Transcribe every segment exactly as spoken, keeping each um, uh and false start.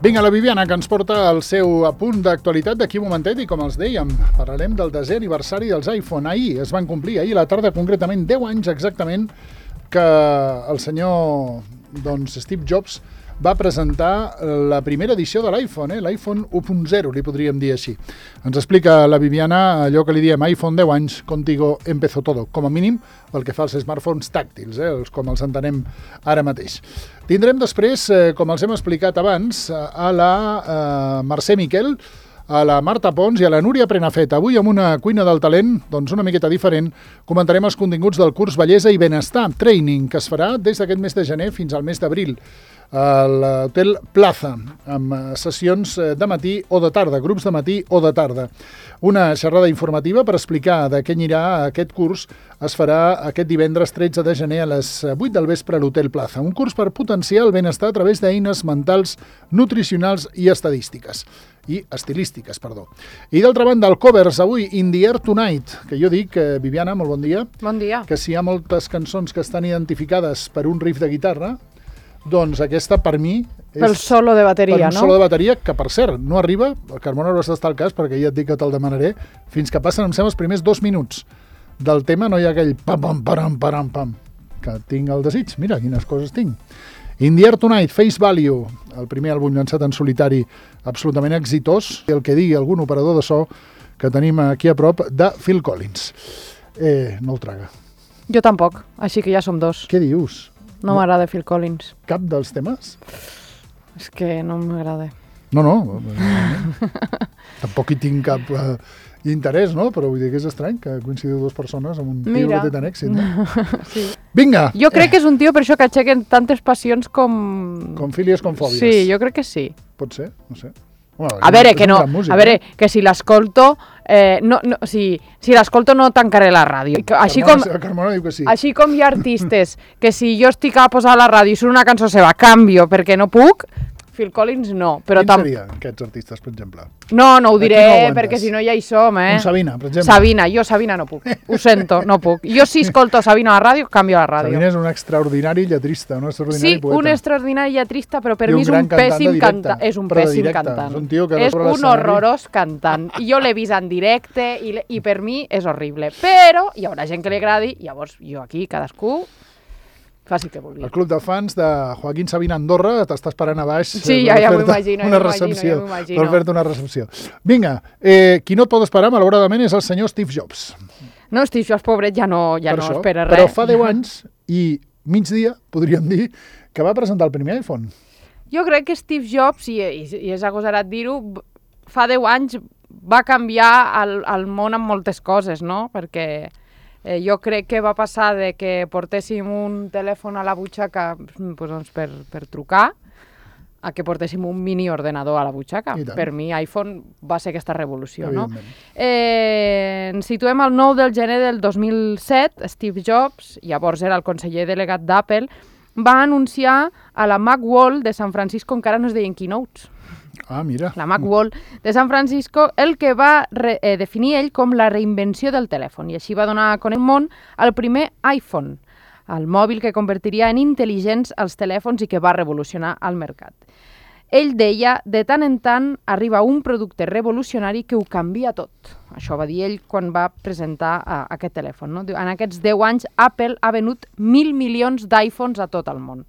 Vinga, la Viviana, que ens porta el seu apunt d'actualitat d'aquí un momentet i, com els dèiem, parlarem del desè aniversari dels iPhone. Ahir es van complir, ahir a la tarda, concretament deu anys exactament, que el senyor doncs, Steve Jobs va presentar la primera edició de l'iPhone, eh? l'iPhone u punt zero, li podríem dir així. Ens explica la Viviana allò que li diem iPhone deu anys, contigo empezó todo, com a mínim pel que fa als smartphones tàctils, eh? els, com els entenem ara mateix. Tindrem després, eh, com els hem explicat abans, a la eh, Mercè Miquel, a la Marta Pons i a la Núria Prenafet. Avui amb una cuina del talent, doncs una miqueta diferent, comentarem els continguts del curs Bellesa i Benestar Training, que es farà des d'aquest mes de gener fins al mes d'abril a l'Hotel Plaza, amb sessions de matí o de tarda, grups de matí o de tarda. Una xerrada informativa per explicar de què anirà aquest curs es farà aquest divendres tretze de gener a les vuit del vespre a l'Hotel Plaza. Un curs per potenciar el benestar a través d'eines mentals, nutricionals i estadístiques. i estilístiques, perdó. I d'altra banda, el Covers, avui, In the Air Tonight, que jo dic, eh, Viviana, molt bon dia. Bon dia. Que si hi ha moltes cançons que estan identificades per un riff de guitarra, doncs aquesta, per mi, és... Pel solo de bateria, per un no? solo de bateria, que per cert, no arriba, el Carmona no està al cas, perquè ja et dic que te'l demanaré, fins que passen, em sembla, els primers dos minuts del tema, no hi ha aquell pam, pam, pam, pam, que tinc el desig. Mira, quines coses tinc. In the Air Tonight, Face Value, el primer àlbum llançat en solitari absolutament exitós, i el que digui algun operador de so que tenim aquí a prop, de Phil Collins. Eh, no el traga. Jo tampoc, així que ja som dos. Què dius? No, no m'agrada Phil Collins. Cap dels temes? És que no m'agrada. No, no. Tampoc hi tinc cap uh, interès, no? Però vull dir que és estrany que coincidiu dues persones amb un tio Mira. que té tant èxit, no? Sí. Vinga! Jo crec que és un tio per això que aixequen tantes passions com... Com fílies, com fòbies. Sí, jo crec que sí. Pot ser, no sé. Bueno, a veure, és que no, músic, a veure, eh? que si l'escolto, eh, no, no, si, si l'escolto no tancaré la ràdio. Així com, Carmona, Carmona diu que sí. així com hi ha artistes que si jo estic a posar a la ràdio i surt una cançó seva, canvio perquè no puc, Phil Collins no. Però Quins tam... serien aquests artistes, per exemple? No, no ho Aquí diré, no aguantes. perquè si no ja hi som, eh? Un Sabina, per exemple. Sabina, jo Sabina no puc, ho sento, no puc. Jo si escolto Sabina a la ràdio, canvio la ràdio. Sabina és un extraordinari lletrista, un extraordinari Sí, poeta. un extraordinari lletrista, però per I un mi és gran un cantant pèssim de directe, cantant. És un però de pèssim directe. cantant. És un tio que és sobre un l'escenari- horrorós cantant. I jo l'he vist en directe i, le- i per mi és horrible. Però hi haurà gent que li agradi, llavors jo aquí, cadascú, faci que vulgui. El club de fans de Joaquín Sabina Andorra t'està esperant a baix Sí, per ja, ja m'ho fer-te imagino, una ja m'ho imagino, recepció, ja m'ho imagino. per fer-te una recepció. Vinga, eh, qui no et pot esperar, malauradament, és el senyor Steve Jobs. No, Steve Jobs, pobret, ja no, ja Per no això. espera res. Però fa deu anys i migdia, podríem dir, que va presentar el primer iPhone. Jo crec que Steve Jobs, i, i, i és agosarat dir-ho, fa deu anys va canviar el, el món amb moltes coses, no? Perquè eh, jo crec que va passar de que portéssim un telèfon a la butxaca pues, doncs per, per trucar a que portéssim un mini ordenador a la butxaca. Per mi iPhone va ser aquesta revolució, no? Eh, ens situem al nou de gener del dos mil set, Steve Jobs, llavors era el conseller delegat d'Apple, va anunciar a la Macworld de San Francisco, encara no es deien keynotes, Ah, mira. la Macworld de San Francisco, el que va re, eh, definir ell com la reinvenció del telèfon, i així va donar a conèixer al món el primer iPhone, el mòbil que convertiria en intel·ligents els telèfons i que va revolucionar el mercat. Ell deia, de tant en tant arriba un producte revolucionari que ho canvia tot. Això va dir ell quan va presentar uh, aquest telèfon. No? En aquests deu anys, Apple ha venut mil milions d'iPhones a tot el món.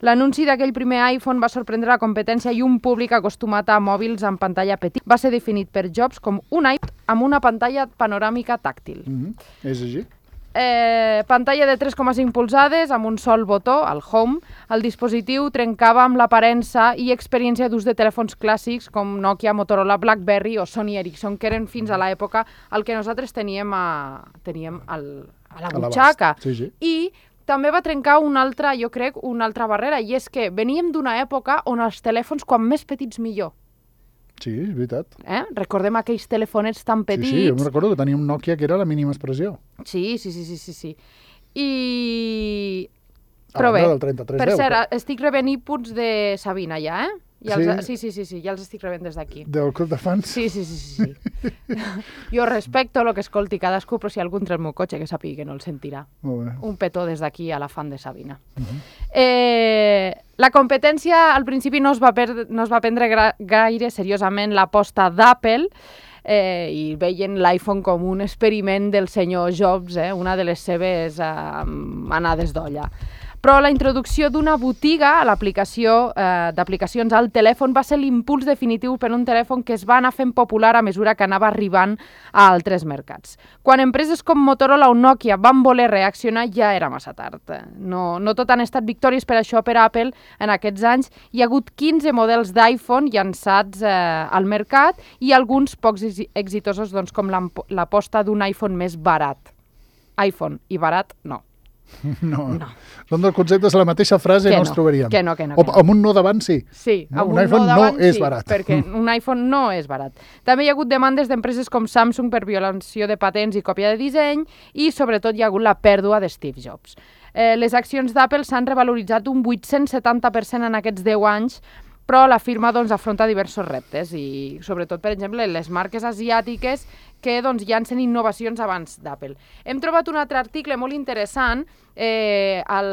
L'anunci d'aquell primer iPhone va sorprendre la competència i un públic acostumat a mòbils amb pantalla petit. Va ser definit per Jobs com un iPhone amb una pantalla panoràmica tàctil. Mm-hmm. És així? Eh, pantalla de tres coma cinc polzades amb un sol botó, el Home. El dispositiu trencava amb l'aparença i experiència d'ús de telèfons clàssics com Nokia, Motorola, BlackBerry o Sony Ericsson, que eren fins a l'època el que nosaltres teníem a, teníem al, a la butxaca. Sí, sí. I també va trencar una altra, jo crec, una altra barrera, i és que veníem d'una època on els telèfons, quan més petits, millor. Sí, és veritat. Eh? Recordem aquells telefonets tan petits. Sí, sí, jo me'n recordo que tenia un Nokia que era la mínima expressió. Sí, sí, sí, sí, sí, sí. I... A Però bé, banda del trenta-tres per deu, cert, però- estic rebent inputs de Sabina ja, eh? Ja Sí? els, sí, sí, sí, sí, ja els estic rebent des d'aquí. Del club de fans? Sí, sí, sí, sí. sí. Jo respecto el que escolti cadascú, però si algú entra al meu cotxe que sàpiga que no el sentirà. Molt bé. Un petó des d'aquí a la fan de Sabina. Uh-huh. eh, La competència al principi no es va, per, no es va prendre gra, gaire seriosament l'aposta d'Apple, eh, i veien l'iPhone com un experiment del senyor Jobs, eh, una de les seves eh, anades d'olla. Però la introducció d'una botiga a l'aplicació eh, d'aplicacions al telèfon va ser l'impuls definitiu per un telèfon que es va anar fent popular a mesura que anava arribant a altres mercats. Quan empreses com Motorola o Nokia van voler reaccionar ja era massa tard. No, no tot han estat victòries per això per Apple en aquests anys. Hi ha hagut quinze models d'iPhone llançats eh, al mercat i alguns pocs exitosos, doncs, com l'aposta d'un iPhone més barat. iPhone i barat, no. No. no. Doncs el concepte és la mateixa frase que no, no els trobaríem. Que no, que no. O amb un no davant sí. Sí, no, amb un, un iPhone no, davant, no és sí, barat. Perquè un iPhone no és barat. També hi ha hagut demandes d'empreses com Samsung per violació de patents i còpia de disseny i sobretot hi ha hagut la pèrdua de Steve Jobs. Eh, les accions d'Apple s'han revaloritzat un vuit-cents setanta per cent en aquests deu anys, però la firma doncs, afronta diversos reptes i sobretot, per exemple, les marques asiàtiques que doncs, llancen innovacions abans d'Apple. Hem trobat un altre article molt interessant. Eh, el,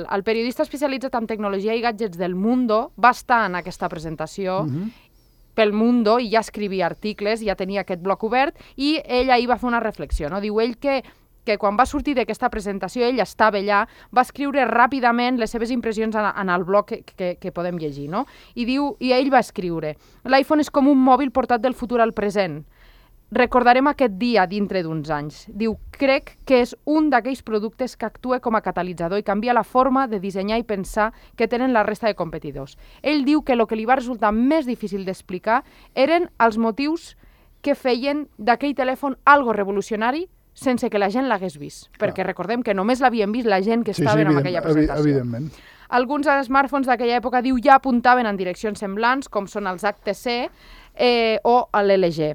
el periodista especialitzat en tecnologia i gadgets del Mundo va estar en aquesta presentació uh-huh. pel Mundo i ja escrivia articles, ja tenia aquest bloc obert i ell ahir va fer una reflexió. No? Diu ell que que quan va sortir d'aquesta presentació, ell estava allà, va escriure ràpidament les seves impressions en, en el blog que, que, que podem llegir, no? I diu, i ell va escriure: l'iPhone és com un mòbil portat del futur al present. Recordarem aquest dia dintre d'uns anys. Diu, crec que és un d'aquells productes que actua com a catalitzador i canvia la forma de dissenyar i pensar que tenen la resta de competidors. Ell diu que el que li va resultar més difícil d'explicar eren els motius que feien d'aquell telèfon algo revolucionari sense que la gent l'hagués vist, perquè Clar. recordem que només l'havien vist la gent que sí, estaven sí, en aquella presentació. Evidentment. Alguns smartphones d'aquella època, diu, ja apuntaven en direccions semblants, com són els H T C eh, o l'L G.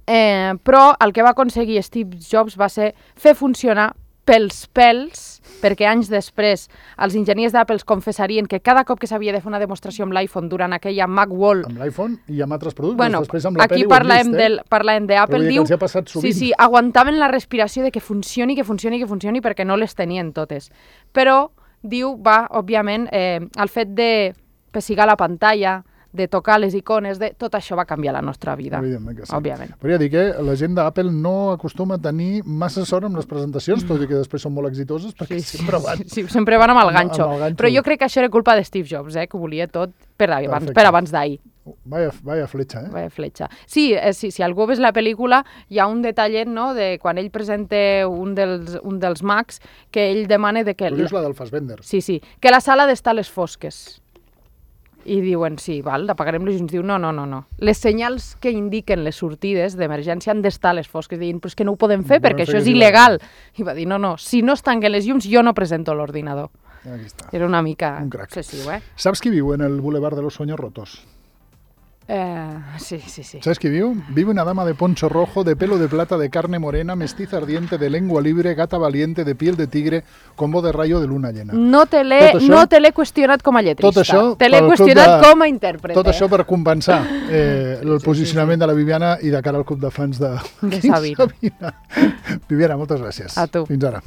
Eh, però el que va aconseguir Steve Jobs va ser fer funcionar pels pèls, perquè anys després els enginyers d'Apple confessarien que cada cop que s'havia de fer una demostració amb l'iPhone durant aquella Macworld... Amb l'iPhone i amb altres productes, bueno, després amb la aquí pel·li parlem ho hem vist, del, eh? parlem d'Apple, diu... Que els ha passat sovint. Sí, sí, aguantaven la respiració de que funcioni, que funcioni, que funcioni, perquè no les tenien totes. Però, diu, va, òbviament, eh, el fet de pessigar la pantalla, de tocar les icones, de tot això va canviar la nostra vida. Evidentment que sí. Òbviament. Podria dir que la gent d'Apple no acostuma a tenir massa sort amb les presentacions, tot i que després són molt exitoses, perquè sí, sempre van... Sí, sí, sempre van amb el ganxo. Amb el ganxo. Però jo crec que això era culpa de Steve Jobs, eh, que volia tot per abans, per abans d'ahir. Vaya, vaya fletxa, eh? Vaya fletxa. Sí, eh, sí, si algú ves la pel·lícula, hi ha un detallet, no?, de quan ell presenta un dels, un dels Macs, que ell demana de que... Tu dius la del Fassbender. Sí, sí, que la sala ha d'estar a les fosques. I diuen, sí, val, apagarem les llums. Diu, no, no, no, no. Les senyals que indiquen les sortides d'emergència han d'estar a les fosques. Diuen, però és que no ho podem fer no perquè això és il·legal. I va dir, no, no, si no es tanquen les llums, jo no presento l'ordinador. Aquí està. Era una mica... Un crac. excessiu, eh? Saps qui viu en el Boulevard de los Sueños Rotos? Eh, sí, sí, sí. ¿Sabes qué vive? Vive una dama de poncho rojo, de pelo de plata, de carne morena, mestiza ardiente, de lengua libre, gata valiente, de piel de tigre, con voz de rayo de luna llena. No te l'he no te l'he qüestionat com a lletrista. Tot això te l'he qüestionat de, com a intèrprete. Tot això per compensar eh, el sí, posicionament sí, sí. de la Viviana i de cara al club de fans de, de Sabina. Sabina. Viviana, moltes gràcies. A tu. Fins ara.